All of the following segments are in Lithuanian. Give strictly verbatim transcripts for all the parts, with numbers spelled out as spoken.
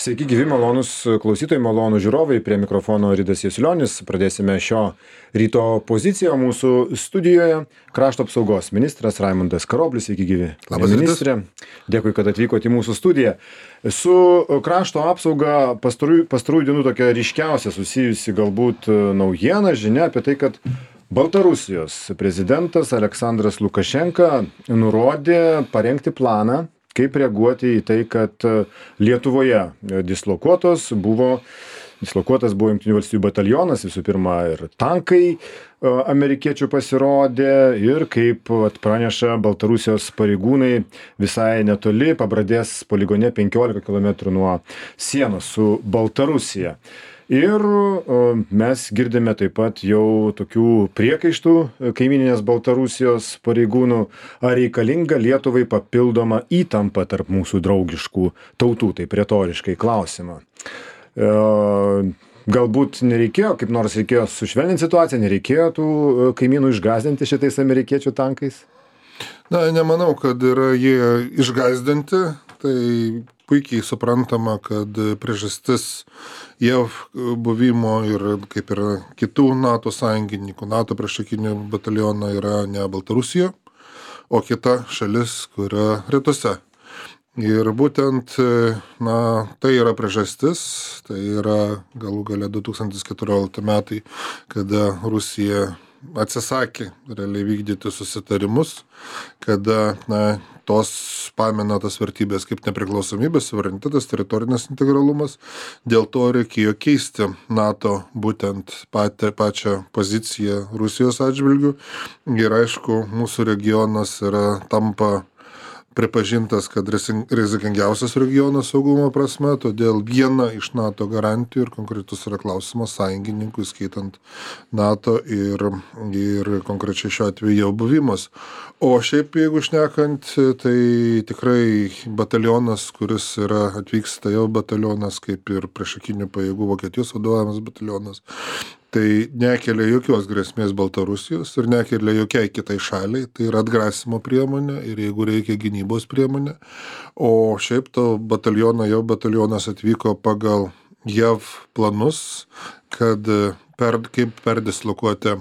Sveiki gyvi, malonus klausytojai, malonus žiūrovai, prie mikrofono Ridas Jasiulionis. Pradėsime šio ryto poziciją mūsų studijoje. Krašto apsaugos ministras Raimundas Karoblis, sveiki gyvi. Labas ministrė. Dėkui, kad atvykote į mūsų studiją. Su krašto apsauga pastarųjų, pastarųjų dienų tokia ryškiausia susijusi galbūt naujiena, žinia apie tai, kad Baltarusijos prezidentas Aleksandras Lukašenka nurodė parengti planą, kaip reaguoti į tai, kad Lietuvoje dislokuotos buvo, dislokuotas buvo Jungtinių valstijų batalionas, visų pirma ir tankai amerikiečių pasirodė ir kaip praneša Baltarusijos pareigūnai visai netoli Pabradės poligone penkiolika kilometrų nuo sienos su Baltarusija. Ir mes girdime taip pat jau tokių priekaištų kaimyninės Baltarusijos pareigūnų, ar reikalinga Lietuvai papildoma įtampa tarp mūsų draugiškų tautų, taip retoriškai klausimą. Galbūt nereikėjo, kaip nors reikėjo sušvelninti situaciją, nereikėjo tų kaimynų išgąsdinti šitais amerikiečių tankais? Na, nemanau, kad yra jie išgąsdinti, tai puikiai suprantama, kad priežastis J A V buvimo ir kaip ir kitų NATO sąjungininkų, NATO priešakinių batalioną yra ne Baltarusija, o kita šalis, kuria rytuose. Ir būtent, na, tai yra priežastis, tai yra galų gale du tūkstantis keturiolikti metai, kada Rusija atsisakė realiai vykdyti susitarimus, kada, na, tos pamena tas vertybės kaip nepriklausomybės, suverenitetas, teritorinis integralumas. Dėl to reikėjo keisti NATO būtent patį, pačią poziciją Rusijos atžvilgių. Ir aišku, mūsų regionas yra tampa pripažintas, kad rizikingiausias regionas saugumo prasme, todėl viena iš NATO garantijų ir konkretus yra klausimas sąjungininkų, skaitant NATO ir, ir konkrečiai šiuo atveju jau buvimas. O šiaip, jeigu šnekant, tai tikrai batalionas, kuris yra atvyksta jau batalionas, kaip ir priešakinių pajėgų Vokietijos vadovavimas batalionas, tai nekelia jokios grėsmės Baltarusijos ir nekelia jokiai kitai šaliai, tai yra atgrasimo priemonė ir jeigu reikia gynybos priemonė. O šiaip to bataliono, jau batalionas atvyko pagal J A V planus, kad per, kaip perdislokuoti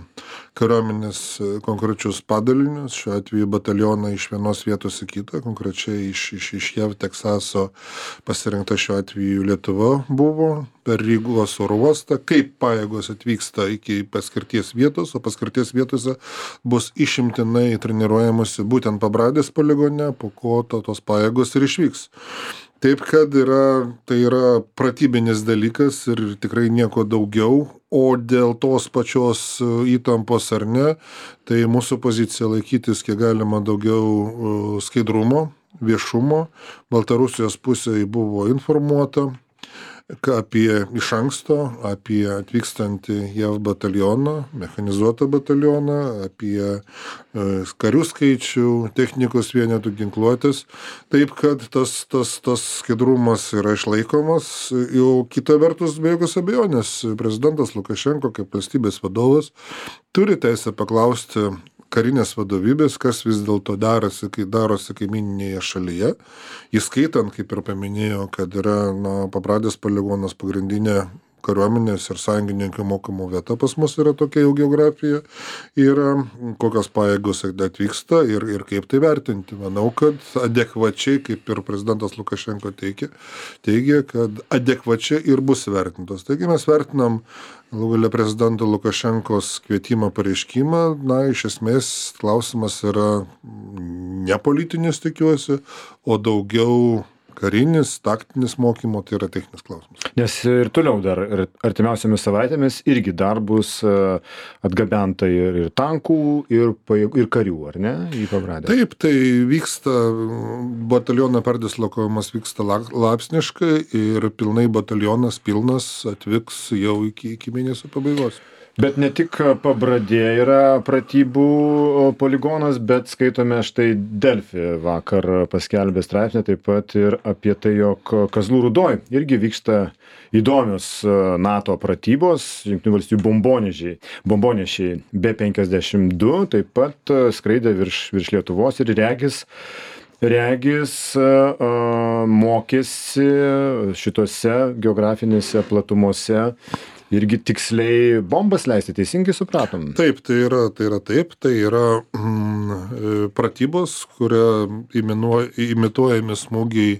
kariuomenės konkrečius padalinius, šiuo atveju batalioną iš vienos vietos į kitą, konkrečiai iš, iš, iš J A V Teksaso pasirinkta šiuo atveju Lietuva buvo, per Rygos oro uostą, kaip pajėgos atvyksta iki paskirties vietos, o paskirties vietose bus išimtinai treniruojamusi būtent Pabradės poligone, po ko to, tos pajėgos ir išvyks. Taip, kad yra, tai yra pratybinis dalykas ir tikrai nieko daugiau, o dėl tos pačios įtampos ar ne, tai mūsų pozicija laikytis kiek galima daugiau skaidrumo, viešumo. Baltarusijos pusėje buvo informuota apie iš anksto, apie atvykstantį J A V batalioną, mechanizuotą batalioną, apie karių skaičių, technikos vienetų, ginkluotės. Taip, kad tas, tas, tas skaidrumas yra išlaikomas. Jau kita vertus, be jokios abejonės, prezidentas Lukašenko kaip valstybės vadovas turi teisę paklausti karinės vadovybės, kas vis dėlto darosi, kai darosi kaimininėje šalyje, įskaitant, kaip ir paminėjo, kad yra, na, Pabradės poligonas pagrindinė kariuomenės ir sąjungininkų mokymų vieta pas mus yra tokia jau geografija, yra kokios pajėgos atvyksta ir, ir kaip tai vertinti. Manau, kad adekvačiai, kaip ir prezidentas Lukašenko teigia, teigia, kad adekvačiai ir bus vertintos. Taigi mes vertinam galų gale prezidento Lukašenkos kvietimą pareiškimą, na, iš esmės klausimas yra ne politinis, tikiuosi, o daugiau karinis, taktinis mokymo, tai yra techninis klausimas. Nes ir toliau dar artimiausiamis savaitėmis irgi dar bus atgabenta ir, ir tankų, ir, ir karių, ar ne, į Pabradę? Taip, tai vyksta, bataliono perdislokavimas vyksta laipsniškai ir pilnai batalionas pilnas atvyks jau iki, iki mėnesio pabaigos. Bet ne tik Pabradė yra pratybų poligonas, bet skaitome štai Delfi vakar paskelbė straipsnį taip pat ir apie tai, jog Kazlų Rūdoj irgi vyksta įdomios NATO pratybos, Jungtinių valstijų bombonešiai, bombonešiai B penkiasdešimt du taip pat skraidė virš, virš Lietuvos ir regis regis mokėsi šitose geografinėse platumose irgi tiksliai bombas leisti, teisingai supratom? Taip, tai yra, tai yra taip, tai yra mm, pratybos, kuria imituojami smūgiai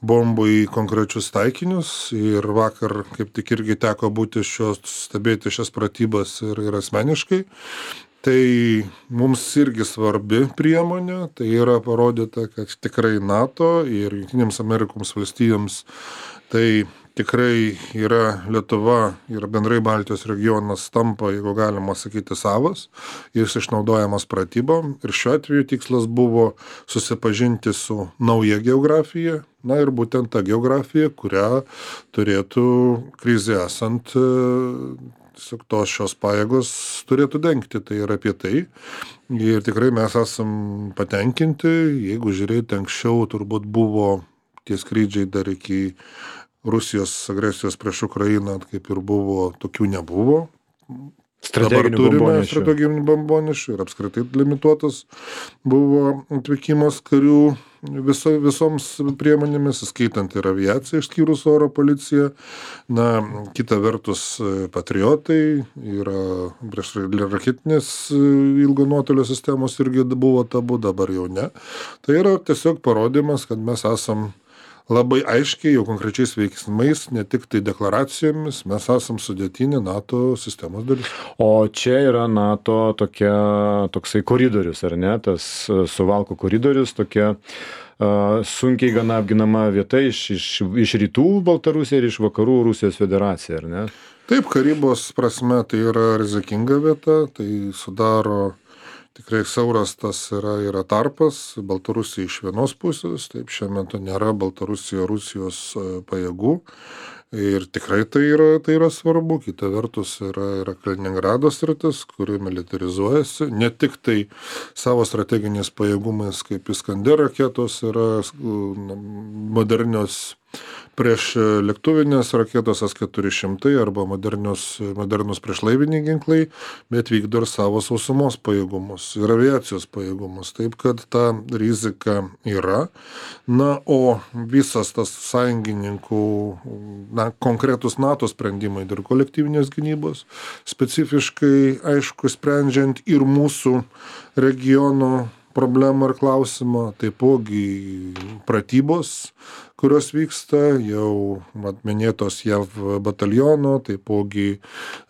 bombų į konkrečius taikinius ir vakar kaip tik irgi teko būti šios, stebėti šias pratybas ir, ir asmeniškai. Tai mums irgi svarbi priemonė, tai yra parodyta, kad tikrai NATO ir Jungtinėms Amerikoms valstijoms tai tikrai yra Lietuva ir bendrai Baltijos regionas tampa, jeigu galima sakyti, savas, jis išnaudojamas pratybom ir šiuo atveju tikslas buvo susipažinti su nauja geografija, na ir būtent ta geografija, kurią turėtų krizė esant tiesiog tos šios pajėgos turėtų dengti, tai yra apie tai. Ir tikrai mes esam patenkinti, jeigu žiūrėti anksčiau, turbūt buvo tie skrydžiai dar iki Rusijos agresijos prieš Ukrainą, kaip ir buvo, tokių nebuvo. Dabar turime strateginių bombonešių ir apskritai limituotas buvo atvykimas karių viso, visoms priemonėmis, skaitant ir aviaciją, išskyrus oro policiją. Na, kita vertus, patriotai yra prieš raketinės ilgo nuotolio sistemos irgi buvo tabu, dabar jau ne. Tai yra tiesiog parodymas, kad mes esam labai aiškiai, jau konkrečiais veiksmais, ne tik tai deklaracijomis, mes esam sudėtinė NATO sistemos dalis. O čia yra NATO tokia, toksai koridorius, ar ne? Tas Suvalkų koridorius, tokia uh, sunkiai gana apginama vieta iš, iš, iš rytų Baltarusija ir iš vakarų Rusijos federacija, ar ne? Taip, karybos prasme tai yra rizikinga vieta, tai sudaro tikrai siauras tas yra, yra tarpas, Baltarusija iš vienos pusės, taip šiuo metu nėra Baltarusija Rusijos pajėgų ir tikrai tai yra, tai yra svarbu, kita vertus yra, yra Kaliningrado sritis, kuri militarizuojasi, ne tik tai savo strateginiais pajėgumais, kaip Iskander raketos yra modernios prieš lėktuvinės raketos S keturi šimtai arba modernius, modernus priešlaiviniai ginklai, bet vykdo ir savo sausumos pajėgumus ir aviacijos pajėgumus. Taip, kad ta rizika yra. Na, o visas tas sąjungininkų, na, konkretus NATO sprendimai dėl kolektyvinės gynybos, specifiškai, aišku, sprendžiant ir mūsų regiono problemą ir klausimą, taipogi pratybos, kurios vyksta, jau minėtos J A V bataliono, taipogi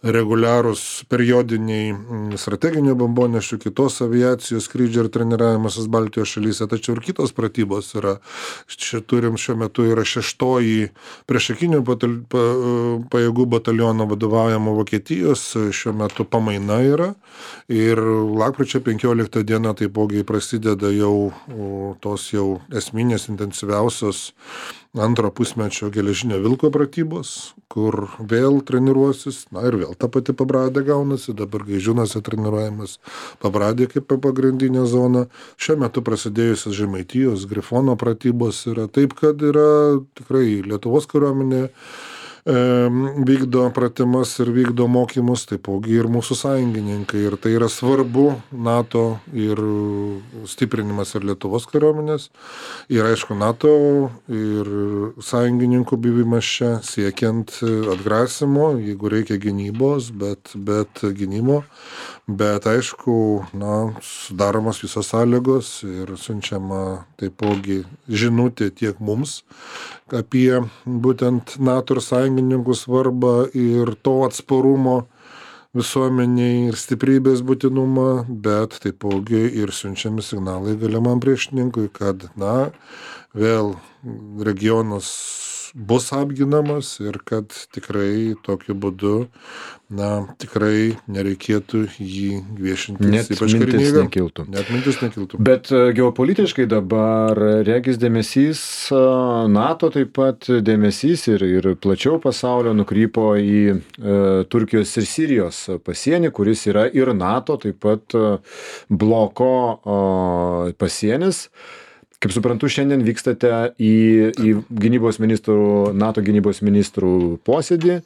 reguliarūs periodiniai strateginių bombonešių, kitos aviacijos skrydžių ir treniravimasis Baltijos šalyse, tačiau ir kitos pratybos yra. Čia turim šiuo metu yra šeštoji priešakinių batal, pa, pajėgų bataliono vadovaujama Vokietijos, šiuo metu pamaina yra ir lapkričio penkioliktą dieną taipogi prasideda jau tos jau esminės intensyviausios antro pusmečio geležinio vilko pratybos, kur vėl treniruosis, na ir vėl ta pati Pabradė gaunasi, dabar Gaižiūnuose treniruojamas Pabradė kaip pagrindinė zona. Šiuo metu prasidėjusios Žemaitijos Grifono pratybos yra taip, kad yra tikrai Lietuvos kariuomenė vykdo pratimas ir vykdo mokymus, taipogi ir mūsų sąjungininkai. Ir tai yra svarbu NATO ir stiprinimas ir Lietuvos kariuomenės. Ir aišku, NATO ir sąjungininkų buvimas čia siekiant atgrasimo, jeigu reikia gynybos, bet, bet gynimo. Bet aišku, na, sudaromos visos sąlygos ir siunčiama taipogi žinutė tiek mums apie būtent NATO ir sąjungininkų svarbą ir to atsparumo visuomeniai ir stiprybės būtinumą, bet taipogi ir siunčiami signalai galimam priešininkui, kad, na, vėl regionas bus apginamas ir kad tikrai tokiu būdu, na, tikrai nereikėtų jį viešinti. Net mintis nekiltų. Net mintis nekiltų. Bet geopolitiškai dabar regis dėmesys, NATO taip pat dėmesys ir, ir plačiau pasaulio nukrypo į e, Turkijos ir Sirijos pasienį, kuris yra ir NATO taip pat bloko o, pasienis. Kaip suprantu, šiandien vykstate į, į gynybos ministrų, NATO gynybos ministrų posėdį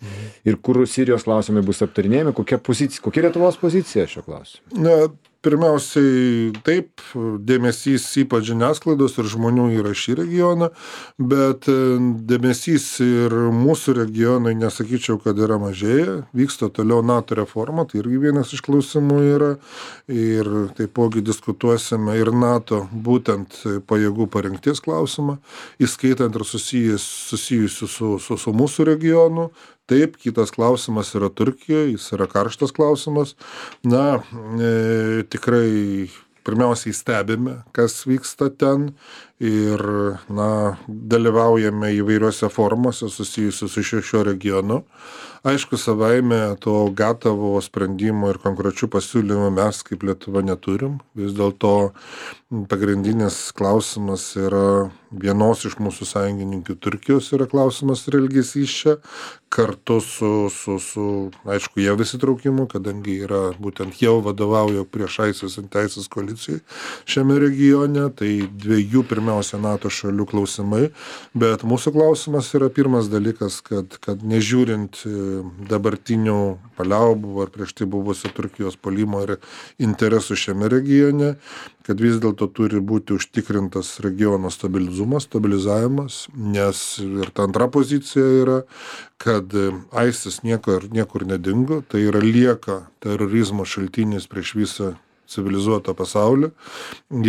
ir kur Sirijos klausimai bus aptarinėjami, kokia pozicija, kokia Lietuvos pozicija šio klausimu? Na, pirmiausiai taip, dėmesys ypač žiniasklaidos ir žmonių yra šį regioną, bet dėmesys ir mūsų regionai, nesakyčiau, kad yra mažėja, vyksta toliau NATO reforma, tai irgi vienas iš klausimų yra ir taipogi diskutuosime ir NATO būtent pajėgų parengties klausimą, įskaitant ir susijęs, susijusių su, su, su mūsų regionu. Taip, kitas klausimas yra Turkija, jis yra karštas klausimas. Na, e, tikrai pirmiausiai stebime, kas vyksta ten ir, na, dalyvaujame įvairiuose formuose susijusius su šio, šio regionu. Aišku, savaime to gatavo sprendimo ir konkrečių pasiūlymų mes kaip Lietuva neturim. Vis dėlto pagrindinis klausimas yra vienos iš mūsų sąjungininkių Turkijos yra klausimas ir elgesys čia, kartu su, su, su aišku, jav įsitraukimu, kadangi yra būtent jau vadovauja prieš ISIS ir teisės koalicijai šiame regione, tai dviejų pirmiausia NATO šalių klausimai, bet mūsų klausimas yra pirmas dalykas, kad, kad nežiūrint dabartinių paliaubų ar prieš tai buvusio Turkijos puolimo ir interesų šiame regione, kad vis dėlto turi būti užtikrintas regiono stabilizumas, stabilizavimas, nes ir ta antra pozicija yra, kad ISIS niekur, niekur nedingo, tai yra lieka terorizmo šaltinis prieš visą civilizuotą pasaulį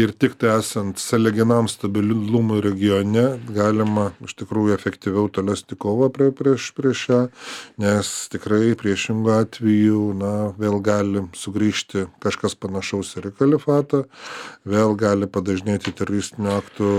ir tik tai esant sąlyginam stabilumui regione galima iš tikrųjų efektyviau tolesnį kovą prie, prieš, prieš šią, nes tikrai priešingų atveju, na, vėl gali sugrįžti kažkas panašaus ir į kalifatą, vėl gali padažnėti teroristinių aktų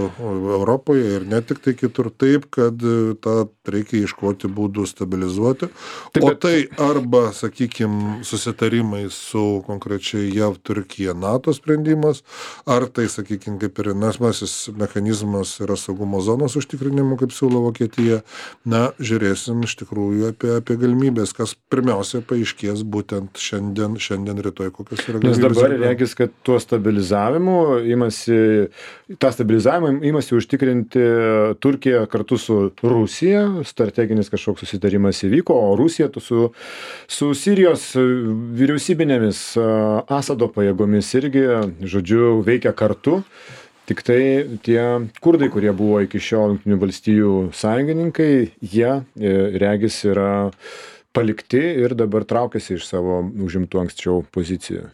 Europoje ir ne tik tai kitur, taip, kad tą reikia ieškoti būdų stabilizuoti, taip, bet... o tai arba, sakykime, susitarimai su konkrečiai jav Turkija NATO sprendimas, ar tai, sakykime, kaip ir nesmasis mechanizmas yra saugumo zonos užtikrinimu, kaip siūlo Vokietija. Na, žiūrėsim iš tikrųjų apie, apie galimybės, kas pirmiausia paaiškės būtent šiandien, šiandien rytoj, kokios yra galimybės. Nes dabar regis, kad tuo stabilizavimu imasi, tą stabilizavimą imasi užtikrinti Turkija kartu su Rusija, strateginis kažkoks susitarimas įvyko, o Rusija su, su Sirijos vyriausybinėmis Asado pajėgomis irgi, žodžiu, veikia kartu. Tik tai tie kurdai, kurie buvo iki šiol Jungtinių valstijų sąjungininkai, jie regis yra palikti ir dabar traukiasi iš savo užimtų anksčiau pozicijų.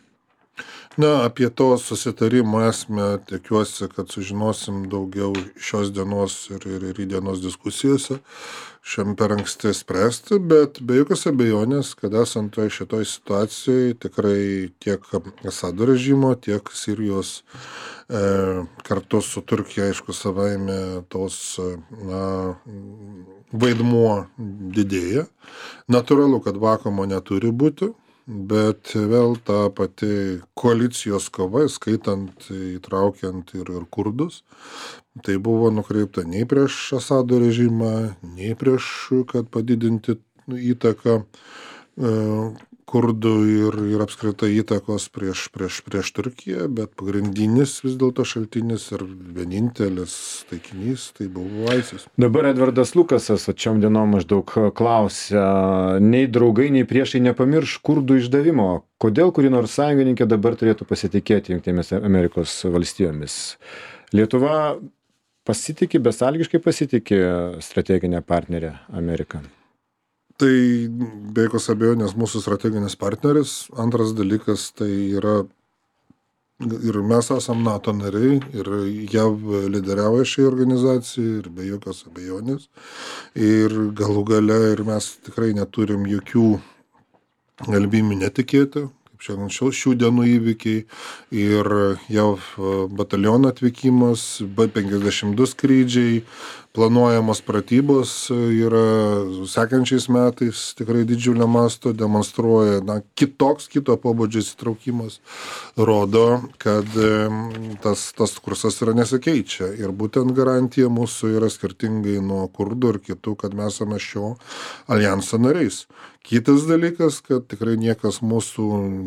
Na, apie to susitarimo esmę tikiuosi, kad sužinosim daugiau šios dienos ir, ir, ir dienos diskusijose. Šiam per anksti spręsti, bet be jokios abejonės, kad esant toj šitoj situacijai tikrai tiek Asado režimo, tiek Sirijos e, kartu su Turkija, aišku, savaime tos na, vaidmuo didėja. Natūralu, kad vakuumo neturi būti. Bet vėl ta pati koalicijos kova, skaitant, įtraukiant ir, ir kurdus, tai buvo nukreipta nei prieš Asado režimą, nei prieš, kad padidinti įtaką e, kurdų ir, ir apskritai įtakos prieš, prieš, prieš Turkiją, bet pagrindinis vis dėlto šaltinis ir vienintelis taikinys tai buvo ISIS. Dabar Edvardas Lukasas atšiom dienom maždaug klausia, nei draugai, nei priešai nepamirš kurdų išdavimo. Kodėl kuri nors sąjungininkė dabar turėtų pasitikėti Jungtinėmis Amerikos valstijomis? Lietuva pasitikė, besąlygiškai pasitikė strateginę partnerę Ameriką. Tai be jokios abejonės mūsų strateginis partneris. Antras dalykas tai yra, ir mes esam NATO nariai, ir jav lyderiauja šiai organizacijai, ir be jokios abejonės. Ir galų gale, ir mes tikrai neturim jokių galimybių netikėti. Šiandien šių dienų įvykiai ir jav bataliono atvykimas, B penkiasdešimt du skrydžiai, planuojamos pratybos yra sekančiais metais tikrai didžiulio masto, demonstruoja na, kitoks, kito pobūdžio įsitraukimas, rodo, kad tas, tas kursas yra nesikeičia. Ir būtent garantija mūsų yra skirtingai nuo kurdų ir kitų, kad mes esame šio alijanso nariais. Kitas dalykas, kad tikrai niekas mūsų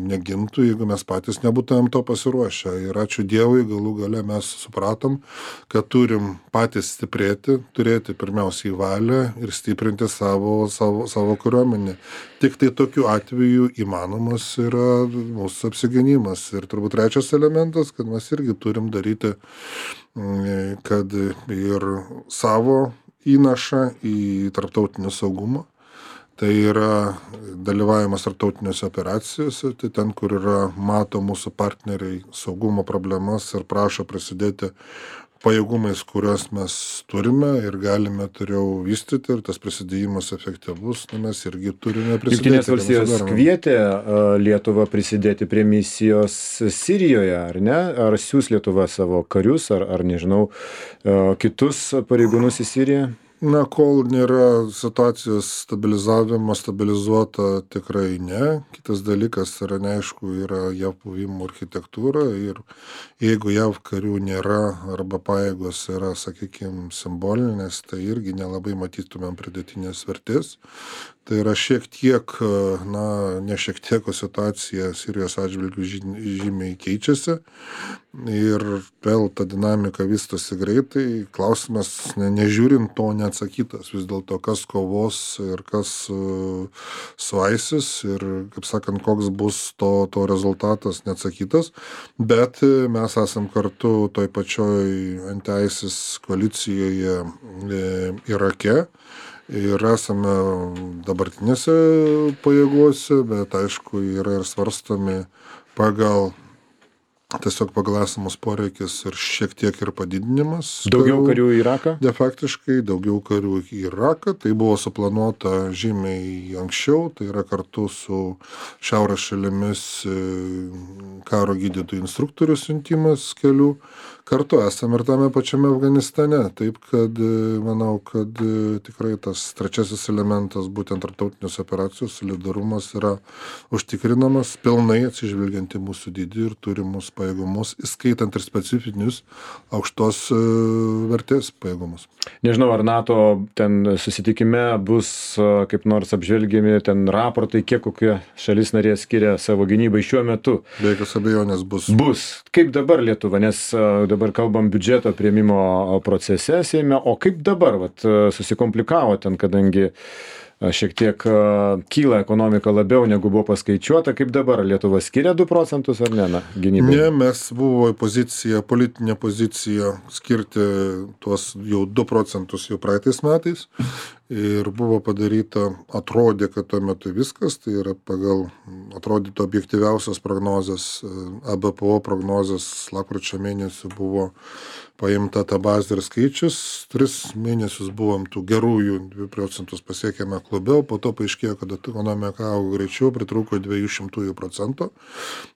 negintų, jeigu mes patys nebūtumėm to pasiruošę. Ir ačiū Dievui, galų gale mes supratom, kad turim patys stiprėti, turėti pirmiausiai valią ir stiprinti savo, savo, savo kariuomenę. Tik tai tokiu atveju įmanomas yra mūsų apsigynimas. Ir turbūt trečias elementas, kad mes irgi turim daryti, kad ir savo įnašą į tarptautinį saugumą. Tai yra dalyvavimas tarptautinėse operacijose, tai ten, kur yra mato mūsų partneriai saugumo problemas ir prašo prisidėti pajėgumais, kuriuos mes turime ir galime toliau vystyti, ir tas prisidėjimas efektyvus, na, mes irgi turime prisidėti. Jungtinės valstijos kvietė Lietuvą prisidėti prie misijos Sirijoje, ar ne? Ar siūs Lietuva savo karius, ar, ar nežinau, kitus pareigūnus į Siriją? Na, kol nėra situacijos stabilizavimo, stabilizuota tikrai ne. Kitas dalykas yra neaišku, yra JAV buvimo architektūra ir jeigu JAV karių nėra arba pajėgos yra, sakykime, simbolinės, tai irgi nelabai matytumėm pridėtinės vertės. Tai yra šiek tiek, na, ne šiek tiek, o situacija Sirijos atžvilgių žymiai keičiasi ir vėl ta dinamika vystosi greitai. Klausimas, ne, nežiūrint to, neatsakytas. Vis dėlto, kas kovos ir kas uh, suaisis ir, kaip sakant, koks bus to, to rezultatas, neatsakytas. Bet mes esam kartu toj pačioj anti-ISIS koalicijoje e, Irake. Ir esame dabartinėse pajėgose, bet aišku, yra ir svarstomi pagal, tiesiog pagal esamus poreikis ir šiek tiek ir padidinimas. Daugiau karių į Iraką? De faktiškai daugiau karių į Iraką. Tai buvo suplanuota žymiai anksčiau, tai yra kartu su šiaurės šalimis karo gydytojų instruktorių siuntimas kelių. Kartu esame ir tame pačiame Afganistane. Taip, kad manau, kad tikrai tas trečiasis elementas, būtent tarptautinės operacijos solidarumas yra užtikrinamas pilnai atsižvelgiant į mūsų dydį ir turimus pajėgumus, įskaitant ir specifinius aukštos vertės pajėgumus. Nežinau, ar NATO ten susitikime bus kaip nors apžvelgiami ten raportai, kiek kokia šalis narė skiria savo gynybai šiuo metu. Be jokios abejonės bus. Bus. Kaip dabar Lietuva, nes dabar kalbam biudžeto priėmimo procese Seime, o kaip dabar vat, susikomplikavo ten, kadangi šiek tiek kyla ekonomika labiau negu buvo paskaičiuota, kaip dabar Lietuva skiria du procentus ar ne, na, gynybai? Ne, mes buvo pozicija, politinė pozicija skirti tuos jau du procentus jau praeitais metais ir buvo padaryta, atrodė, kad tuo metu viskas, tai yra pagal atrodytų objektyviausias prognozes, A B P O prognozes lapkričio mėnesį buvo paimta ta bazė ir skaičius, tris mėnesius buvom tų gerųjų du procentus pasiekėme klube, po to paaiškėjo, kad ekonomika augo greičiau, pritrūko dviejų šimtųjų procento.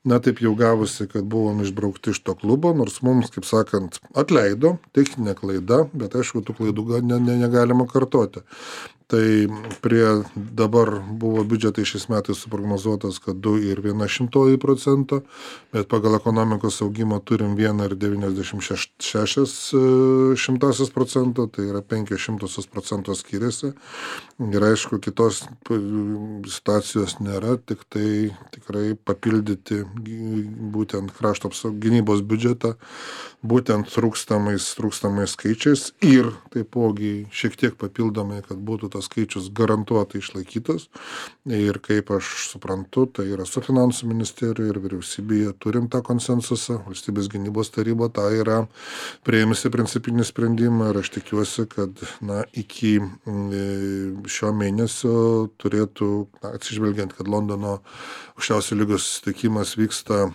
Na, taip jau gavosi, kad buvom išbraukti iš to klubo, nors mums, kaip sakant, atleido, techninė klaida, bet aišku, tų klaidų ne, ne, negalima kartoti. Tai prie dabar buvo biudžetai šiais metais suprognozuotas, kad du ir viena šimtoji procento, bet pagal ekonomikos augimą turim vieną ir devyniasdešimt šešias šimtasias procento, tai yra penkios šimtosios procento skiriasi. Ir aišku, kitos situacijos nėra, tik tai tikrai papildyti būtent krašto gynybos biudžetą, būtent trūkstamais, trūkstamais skaičiais ir taipogi šiek tiek papildomai, kad būtų tas skaičius garantuotai išlaikytas. Ir kaip aš suprantu, tai yra su finansų ministerija ir vyriausybėje turim tą konsensusą. Valstybės gynybos taryba tą yra priėmusi principinį sprendimą ir aš tikiuosi, kad na, iki šio mėnesio turėtų, na, atsižvelgiant, kad Londono aukščiausio lygos susitikimas vyksta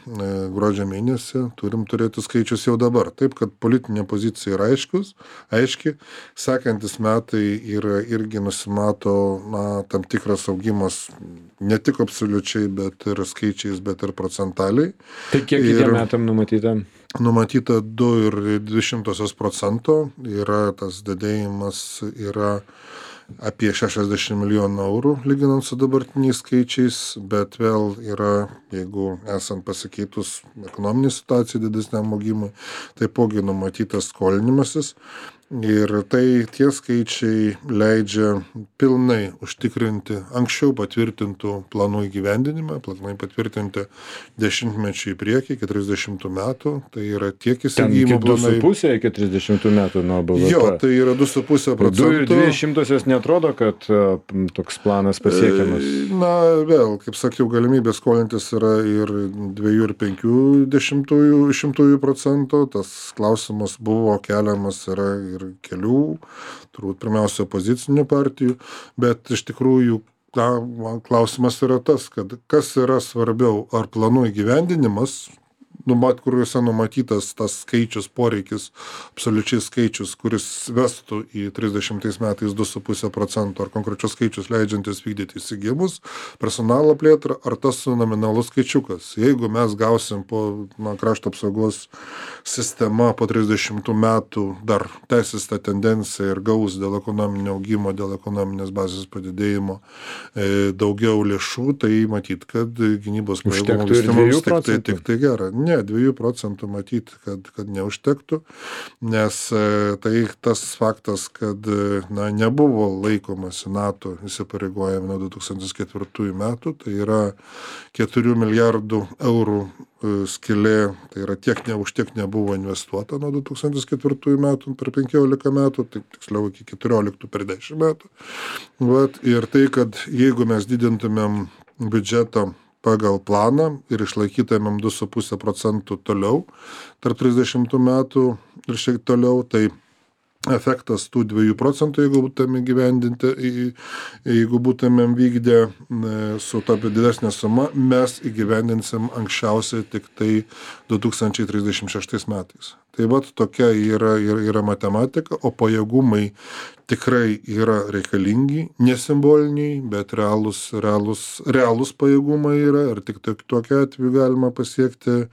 gruodžio mėnesį, turim turėti skaičius jau dabar. Taip, kad politinė pozicija yra aiškus, aiški, sekantis metai yra irgi nusimato na, tam tikras augimas ne tik absoliučiai, bet ir skaičiais, bet ir procentaliai. Tai kiek kitiem metam numatyta? Numatyta du ir dvi šimtosios procento, yra tas didėjimas, yra apie šešiasdešimt milijonų eurų, lyginant su dabartiniais skaičiais, bet vėl yra, jeigu esant pasikeitus ekonominį situaciją didesniam augimui, taipogi numatytas skolinimasis. Ir tai tie skaičiai leidžia pilnai užtikrinti anksčiau patvirtintų planų įgyvendinimą, planai patvirtinti dešimtmečių į priekį, iki trisdešimtų metų, tai yra tiek įsigijimų du su planai. puse iki trisdešimtų metų nuo B V P. Jo, tai yra du su puse du ir procentų. dvi šimtosios netrodo, kad a, m, toks planas pasiekiamas. Na, vėl, kaip sakiau, galimybė skolintis yra ir dviejų ir penkių dešimtųjų šimtųjų procentų. Tas klausimas buvo keliamas yra ir kelių, turbūt pirmiausia opozicinių partijų, bet iš tikrųjų na, klausimas yra tas, kad kas yra svarbiau, ar planų įgyvendinimas, numat, kuriuose numatytas tas skaičius, poreikis, absoliučiai skaičius, kuris vestų į trisdešimtais metais du su puse procento, ar konkrečius skaičius leidžiantis vykdyti įsigijimus, personalo plėtrą, ar tas nominalus skaičiukas. Jeigu mes gausim po na, krašto apsaugos sistema po trisdešimtų metų dar tęsis tą tendenciją ir gaus dėl ekonominio augimo, dėl ekonominės bazės padidėjimo e, daugiau lėšų, tai matyt, kad gynybos pajėgumų vystymas tik tai, tik tai gera. Ne, dviejų procentų matyti, kad, kad neužtektų, nes e, tai tas faktas, kad na, nebuvo laikomasi NATO įsipareigojami nuo du tūkstančiai ketvirtųjų metų, tai yra keturių milijardų eurų e, skylė, tai yra tiek ne, už tiek nebuvo investuota nuo du tūkstančiai ketvirtųjų metų per penkiolika metų, tai tiksliau iki keturioliktų per dešimt metų. Vat, ir tai, kad jeigu mes didintumėm biudžetą pagal planą ir išlaikytumėm du su puse procentų toliau tarp trisdešimtų metų ir šiek toliau, tai efektas tų dviejų procentų, jeigu būtumėm įgyvendinti, jeigu būtumėm vykdę su ta didesnė suma, mes įgyvendinsim anksčiausiai tik tai du tūkstančiai trisdešimt šeštais metais. Tai vat tokia yra, yra, yra matematika, o pajėgumai tikrai yra reikalingi, nesimboliniai, bet realūs, realūs, realūs pajėgumai yra ir tik tokia atveju galima pasiekti e,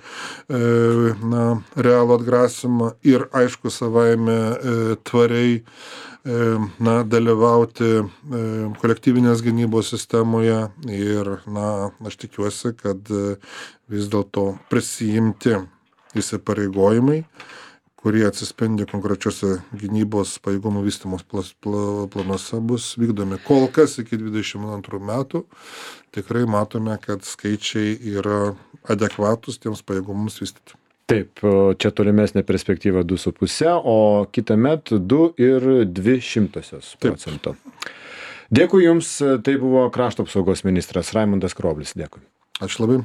na, realų atgrasimą ir aišku savaime e, tvariai e, na, dalyvauti e, kolektyvinės gynybos sistemoje ir na, aš tikiuosi, kad e, vis dėlto prisijimti įsipareigojimai, kurie atsispindi konkrečiose gynybos pajėgumų vystymos planuose, bus vykdomi. Kol kas iki dvidešimt antrų metų tikrai matome, kad skaičiai yra adekvatus tiems pajėgumams vystyti. Taip, čia tolimesnė perspektyva du su puse, o kitąmet du ir dvi šimtosios procento. Dėkui Jums, tai buvo krašto apsaugos ministras Raimundas Karoblis. Dėkui. Ačiū labai.